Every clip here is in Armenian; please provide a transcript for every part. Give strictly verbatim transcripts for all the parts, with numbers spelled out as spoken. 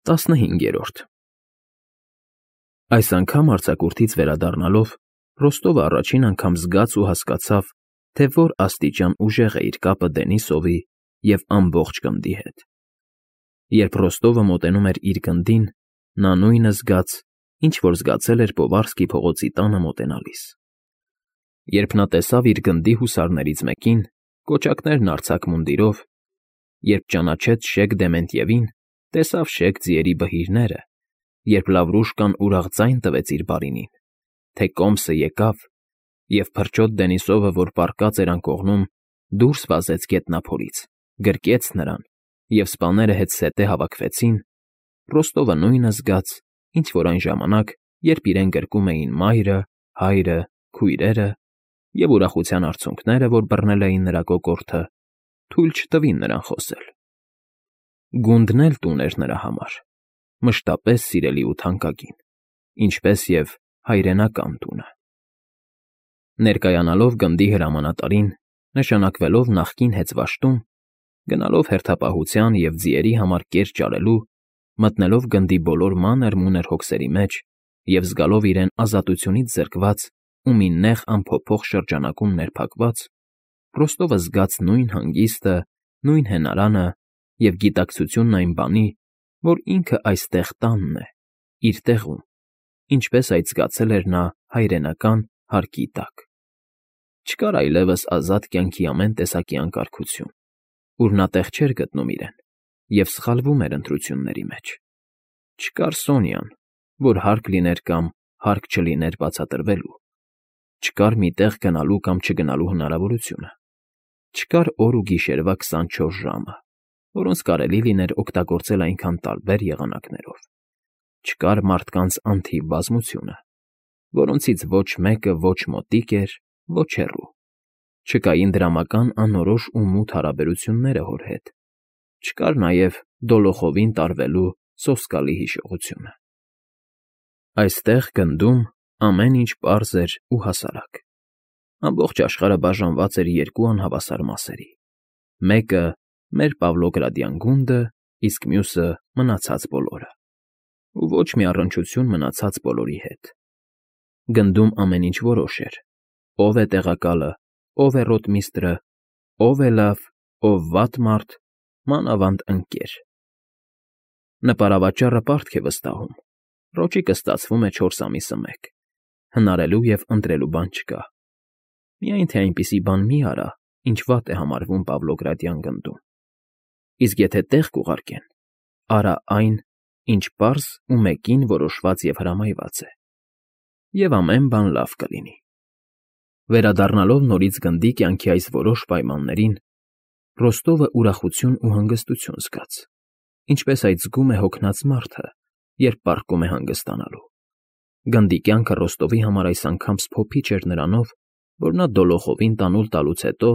Տասնհինգերորդ Այս անգամ արձակուրդից վերադառնալով Ռոստովը առաջին անգամ զգաց ու հասկացավ, թե որ աստիճան ուժեղ է իր կապը Դենիսովի և ամբողջ գնդի հետ. երբ Ռոստովը մոտենում էր իր գնդին, նա նույնը զգաց, ինչ որ զգացել էր Պովարսկի փողոցի տանը մոտենալիս. երբ նա տեսավ իր գնդի հուսարներից մեկին, կոճակներն արձակ մունդիրով, երբ ճանաչեց Շեկ Դեմենտևին, տեսավ շեկ ձիերի բհիրները, երբ Լավրուշկան ուրախ ձայն տվեց իր բարինին, թե կոմսը եկավ, և փրչոտ Դենիսովը, որ պառկած էր անկողնում, դուրս վազեց գետնափորից, գրկեց նրան, և սպաները հետզհետե հավաքվեցին, Ռոստովը նույնը զգաց, ինչ որ այն ժամանակ, երբ իրեն գրկում էին մայրը, հայրը, քույրերը, և ուրախության արցունքները, որ բռնել էին նրա կոկորդը, թույլ չտվին նրան խոսել. Գունդն էլ տուն էր նրա համար, մշտապես սիրելի ու թանկագին, ինչպես և հայրենական տունը. Ներկայանալով գնդի հրամանատարին, նշանակվելով նախկին հեծվաշտում, գնալով հերթապահության և ձիերի համար կեր ճարելու, մտնելով գնդի բոլոր մանր֊մունր հոգսերի մեջ և զգալով իրեն ազատությունից զրկված ու մի նեղ անփոփոխ շրջանակում ներփակված, Ռոստովը զգաց նույն հանգիստը, նույն հենարանը և գիտակցությունն այն բանի, որ ինքը այստեղ տանն է, իր տեղում, ինչպես այդ զգացել էր նա հայրենական հարկի տակ. չկար այլևս ազատ կյանքի ամեն տեսակի անկարգություն, ուր նա տեղ չէր գտնում իրեն և սխալվում էր ընտրությունների մեջ, չկար Սոնյան, որ հարկ լիներ կամ հարկ չլիներ բացատրվելու, չկար մի տեղ գնալու կամ չգնալու հնարավորությունը, չկար օր ու գիշերվա քսանչորս ժամը, որոնց կարելի լիներ օգտագործել այնքան տարբեր եղանակներով, չկար մարդկանց անթիվ բազմությունը, որոնցից ոչ մեկը ոչ մոտիկ էր, ոչ հեռու, չկային դրամական անորոշ ու մութ հարաբերությունները հոր հետ, չկար նաև դոլոխովին տարվելու սոսկալի հիշողությունը. Այստեղ գնդում ամեն ինչ պարզ էր ու հասարակ, ամբողջ աշխարհը բաժանված էր երկու անհավասար մասերի, մեկը մեր Պավլոգրադյան գունդը, իսկ մյուսը մնացած բոլորը, ու ոչ մի առնչություն մնացած բոլորի հետ. գնդում ամեն ինչ որոշ էր, ով է տեղակալը, ով է ռոտմիստրը, ով է լավ, ով վատ մարդ, մանավանդ ընկեր. նպարավաճառը պարտք է վստահում, ռոճիկը ստացվում է չորս ամիսը մեկ, հնարելու և ընտրելու բան չկա, միայն թե այնպիսի բան մի արա, ինչ վատ է համարվում Պավլոգրադյան գնդում, իսկ եթե տեղ կուղարկեն, արա այն, ինչ պարզ ու մեկին որոշված և հրամայված է, և ամեն բան լավ կլինի. Վերադառնալով նորից գնդի կյանքի այս որոշ պայմաններին, Ռոստովը ուրախություն ու հանգստություն զգաց, ինչպես այդ զգում է հոգնած մարդը, երբ պառկում է հանգստանալու. գնդի կյանքը Ռոստովի համար այս անգամ սփոփիչ էր նրանով, որ նա դոլոխովին տանուլ տալուց հետո,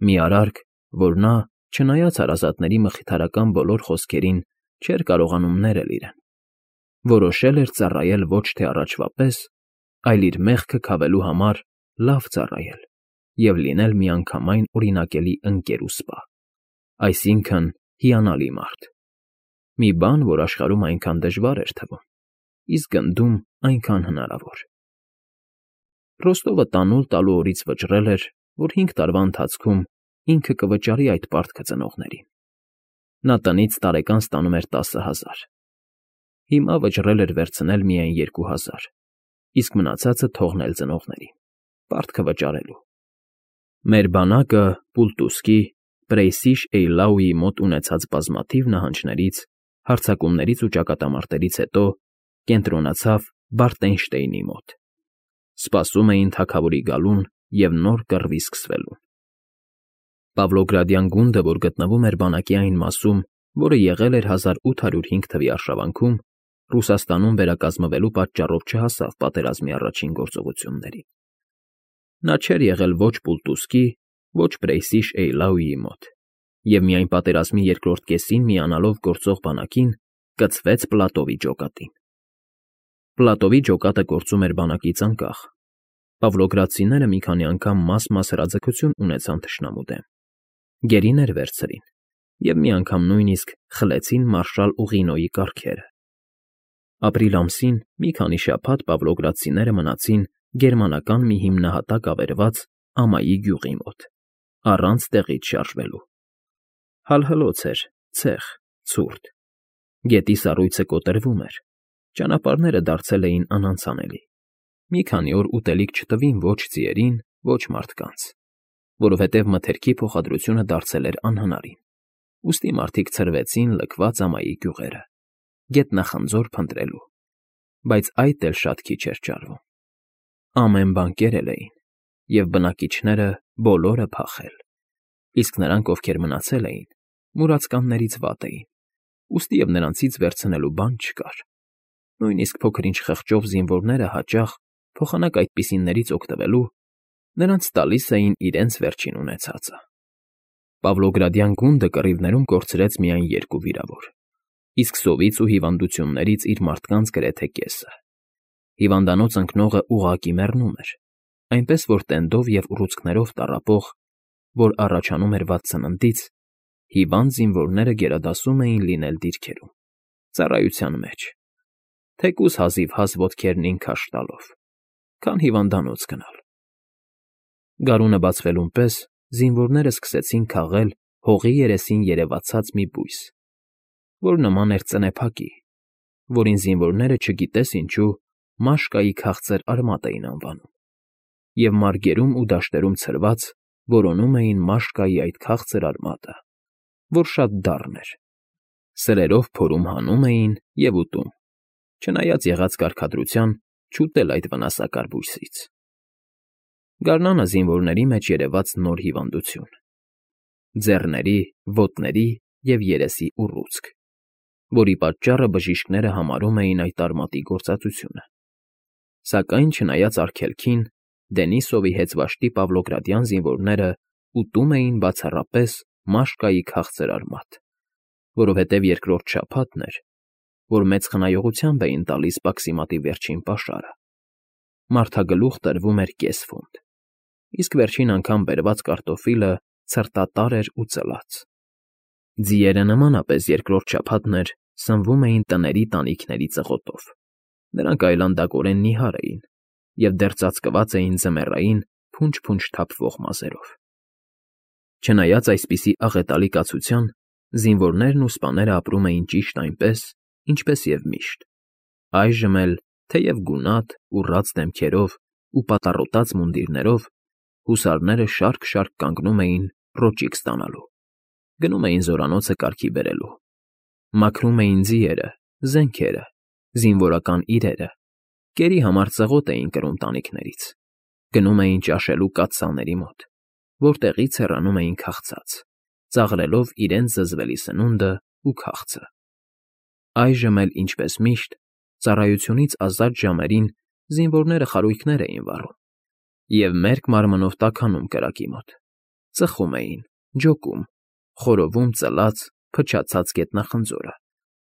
մի արարք, որ նա, չնայած հարազատների մխիթարական բոլոր խոսքերին, չէր կարողանում ներել իրեն, որոշել էր ծառայել ոչ թե առաջվա պես, այլ իր մեղքը քավելու համար լավ ծառայել և լինել միանգամայն օրինակելի ընկեր ու սպա, այսինքն՝ հիանալի մարդ, մի բան, որ աշխարհում այնքան դժվար էր թվում, իսկ գնդում այնքան հնարավոր. Ռոստովը տանուլ տալու օրից վճռել էր, որ հինգ տարվա ընթացքում ինքը կվճարի այդ պարտքը ծնողներին, նա տնից տարեկան ստանում էր տասը հազար, հիմա վճռել էր վերցնել միայն երկու հազար, իսկ մնացածը թողնել ծնողներին, պարտքը վճարելու. Մեր բանակը Պուլտուսկի, Պրեյսիշ Էյլաուի մոտ ունեցած բազմաթիվ նահանջներից, հարձակումներից ու ճակատամարտերից հետո կենտրոնացավ Բարտենշտեյնի մոտ, սպասում էին թագավորի գալուն և նոր կռվի սկսվելուն. Պավլոգրադյան գունդը, որ գտնվում էր բանակի այն մասում, որը եղել էր հազար ութ հարյուր հինգ թվականի արշավանքում, Ռուսաստանում վերակազմվելու պատճառով չհասավ պատերազմի առաջին գործողություններին. նա չէր եղել ոչ Պուլտուսկի, ոչ Պրեյսիշ Էյլաուի մոտ, և միայն պատերազմի երկրորդ կեսին միանալով գործող բանակին, կցվեց Պլատովի ջոկատին. Պլատովի ջոկատը գործում էր բանակից անկախ, պավլոգրադցիները մի քանի անգամ մաս֊մաս հրաձգություն ունեցան թշնամու դեմ, գերիներ վերցրին, և մի անգամ նույնիսկ խլեցին մարշալ Ուղինոյի կառքերը։ Ապրիլ ամսին մի քանի շաբաթ պավլոգրադցիները մնացին գերմանական մի հիմնահատակ ավերված ամայի գյուղի մոտ, առանց տեղից շարժվելու։ Հալհլոց էր, ցեղ, ցուրտ, գետի սառույցը կոտրվում էր, ճանապարհները դարձել էին անանցանելի։ Մի քանի օր ուտելիք չտվին ոչ ձիերին, ոչ մարդկանց, որովհետև մթերքի փոխադրությունը դարձել էր անհնարին, ուստի մարդիկ ցրվեցին լքված ամայի գյուղերը, գետնախնձոր փնտրելու, բայց այդ էլ շատ քիչ էր ճարվում։ Ամեն բան կերել էին, և բնակիչները բոլորը փախել, իսկ նրանք, ովքեր մնացել էին, մուրացկաններից վատ էին, ուստիև նրանցից վերցնելու բան չկար։ Նույնիսկ փոքր-ինչ խղճով զինվորները հաճախ, փոխանակ այդպիսիներից օգտվելու, նրանց տալիս էին իրենց վերջին ունեցածը։ Պավլոգրադյան գունդը կռիվներում կորցրեց միայն երկու վիրավոր, իսկ սովից ու հիվանդություններից իր մարդկանց գրեթե կեսը։ Հիվանդանոց ընկնողը ուղղակի մեռնում էր, այնպես որ տենդով և ուռուցքներով տառապող, որ առաջանում էր վատ սննդից, հիվանդ զինվորները գերադասում էին լինել դիրքերում, ծառայության մեջ, թեկուզ հազիվհազ ոտքերնին քաշ տալով, քան հիվանդանոց գնալ։ Գարունը բացվելուն պես զինվորները սկսեցին քաղել հողի երեսին երևացած մի բույս, որ նման էր ծնեփակի, որին զինվորները չգիտես ինչու Մաշկայի քաղցր արմատ էին անվանում, և մարգերում ու դաշտերում ցրված որոնում էին Մաշկայի այդ քաղցր արմատը, որ շատ դառն էր, սրերով փորում հանում էին և ուտում, չնայած եղած կարգադրության չուտել այդ վնասակար բույսից։ Գարնանը զինվորների մեջ երևաց նոր հիվանդություն՝ ձեռների, ոտների և երեսի ուռուցք, որի պատճառը բժիշկները համարում էին այդ արմատի գործածությունը։ Սակայն, չնայած արգելքին, Դենիսովի հեծվաշտի պավլոգրադյան զինվորները ուտում էին բացառապես Մաշկայի քաղցր արմատ, որովհետև երկրորդ շաբաթն էր, որ մեծ խնայողությամբ էին տալիս պաքսիմատի վերջին պաշարը։ Մարդագլուխ տրվում էր կես ֆունտ, իսկ վերջին անգամ բերված կարտոֆիլը ցրտատար էր ու ծլած։ Ձիերը նմանապես երկրորդ շաբաթն էր սնվում էին տների տանիքների ծղոտով, նրանք այլանդակորեն նիհար էին և դեռ ծածկված էին ձմեռային փունջ֊փունջ թափվող մազերով։ Չնայած այսպիսի աղետալի կացության, զինվորներն ու սպաները ապրում էին ճիշտ այնպես, ինչպես և միշտ, այժմ էլ, թեև գունատ, ուռած դեմքերով ու պատառոտած մունդիրներով, հուսարները շարք֊շարք կանգնում էին ռոճիկ ստանալու, գնում էին զորանոցը կարգի բերելու, մաքրում էին ձիերը, զենքերը, զինվորական իրերը, կերի համար ծղոտ էին կրում տանիքներից, գնում էին ճաշելու կաթսաների մոտ, որտեղից հեռանում էին քաղցած, ծաղրելով իրենց զզվելի սնունդը ու քաղցը։ Այժմ էլ, ինչպես միշտ, ծառայությունից ազատ ժամերին զինվորները խարույկներ էին վառում և մերկ մարմնով տաքանում կրակի մոտ, ծխում էին, ջոկում, խորովում ծլած, փչացած գետնախնձորը,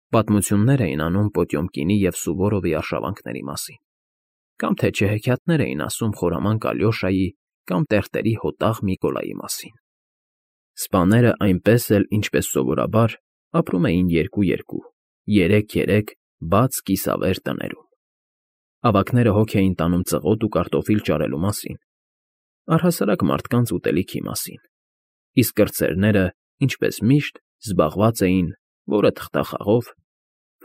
պատմություններ էին անում Պոտյոմկինի և Սուվորովի արշավանքների մասին, կամ թե չէ հեքիաթներ էին ասում խորամանկ Ալյոշայի կամ տերտերի հոտաղ Միկոլայի մասին։ Սպաները այնպես էլ, ինչպես սովորաբար, ապրում էին երկու֊երկու, երեք֊երեք բաց կիսավեր տներում։ Ավագները հոգ էին տանում ծղոտ ու կարտոֆիլ ճարելու մասին, առհասարակ մարդկանց ուտելիքի մասին, իսկ կրտսերները, ինչպես միշտ, զբաղված էին որը թղթախաղով,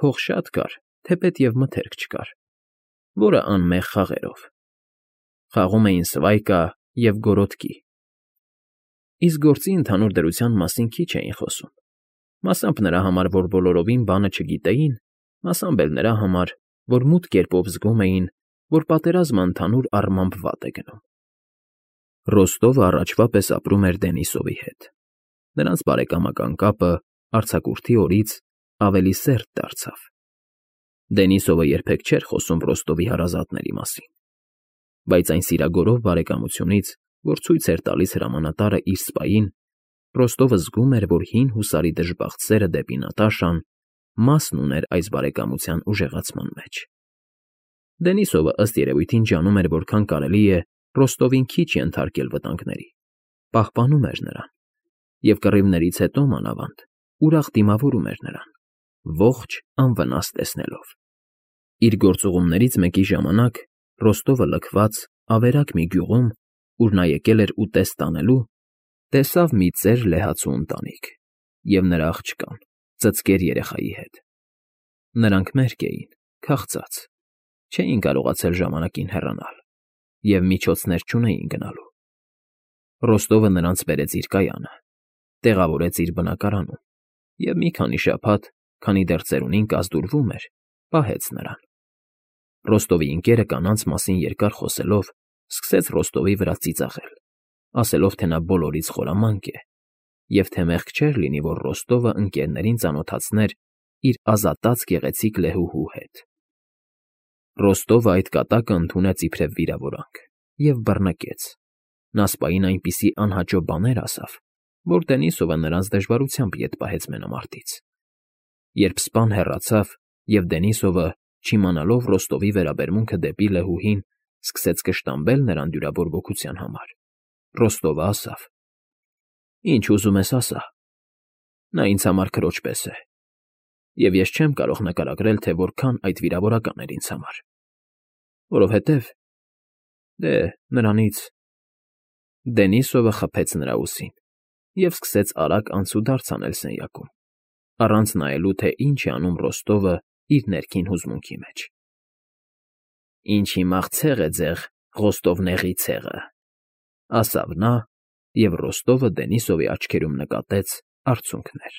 փող շատ կար, թեպետ և մթերք չկար, որը անմեղ խաղերով, խաղում էին սվայկա և գորոտկի, իսկ գործի ընդհանուր դրության մասին քիչ էին խոսում, մասամբ նրա համար, որ բոլորովին բանը չգիտեին, մասամբ էլ նրա համար, որ մութ կերպով զգում էին, որ պատերազմը ընդհանուր առմամբ վատ է գնում։ Ռոստովը առաջվա պես ապրում էր Դենիսովի հետ, նրանց բարեկամական կապը արձակուրդի օրից ավելի սերտ դարձավ։ Դենիսովը երբեք չէր խոսում Ռոստովի հարազատների մասին, բայց այն սիրագորով բարեկամությունից, որ ցույց էր տալիս հրամանատարը իր սպային, Ռոստովը զգում էր, որ հին հուսարի դժբախտ սերը դեպի Նատաշան մասն ուներ այս բարեկամության ուժեղացման մեջ։ Դենիսովը, ըստ երևույթին, ջանում էր որքան կարելի է Ռոստովին քիչ ենթարկել վտանգների, պահպանում էր նրան և կռիվներից հետո, մանավանդ, ուրախ դիմավորում էր նրան, ողջ անվնաս տեսնելով։ Իր գործուղումներից մեկի ժամանակ Ռոստովը լքված, ավերակ մի գյուղում, ուր նա եկել էր ուտեստ տանելու, տեսավ մի ծեր լեհացու ընտանիք և նրա աղջկան, ծծկեր երեխայի հետ. նրանք մերկ էին, քաղցած, չէին կարողացել ժամանակին հեռանալ և միջոցներ չունեին գնալու։ Ռոստովը նրանց բերեց իր կայանը, տեղավորեց իր բնակարանում և մի քանի շաբաթ, քանի դեռ ծերունին կազդուրվում էր, պահեց նրան։ Ռոստովի ընկերը կանանց մասին երկար խոսելով սկսեց Ռոստովի վրա ծիծաղել, ասելով, թե նա բոլորից խորամանկ է և թե մեղք չէր լինի, որ Ռոստովը ընկներներին ծանոթացներ իր ազատած գեղեցիկ լեհուհու հետ։ Ռոստովը այդ կատակը ընդունեց իբրև վիրավորանք և բռնկեց։ Նա սպային այնպիսի անհաճո բաներ ասավ, որ Դենիսովը նրանց դժվարությամբ ետ պահեց մենամարտից։ Երբ սպան հեռացավ, և Դենիսովը, չիմանալով Ռոստովի վերաբերմունքը դեպի լեհուհին, սկսեց կշտամբել նրան դյուրավոր ոգության համար, Ռոստովը ասավ. «Ինչ ուզում ես ասա, նա ինձ համար քրոջ պես է, և ես չեմ կարող նկարագրել, թե որքան այդ վիրավորական էր ինձ համար, որովհետև… դե, նրանից…» Դենիսովը խփեց նրա ուսին և սկսեց արագ անցուդարձ անել սենյակում, առանց նայելու, թե ինչ է անում Ռոստովը իր ներքին հուզմունքի մեջ։ «Ինչ հիմար ցեղ է ձեր Ռոստովների ցեղը», ասավ նա, և Ռոստովը Դենիսովի աչքերում նկատեց արցունքներ։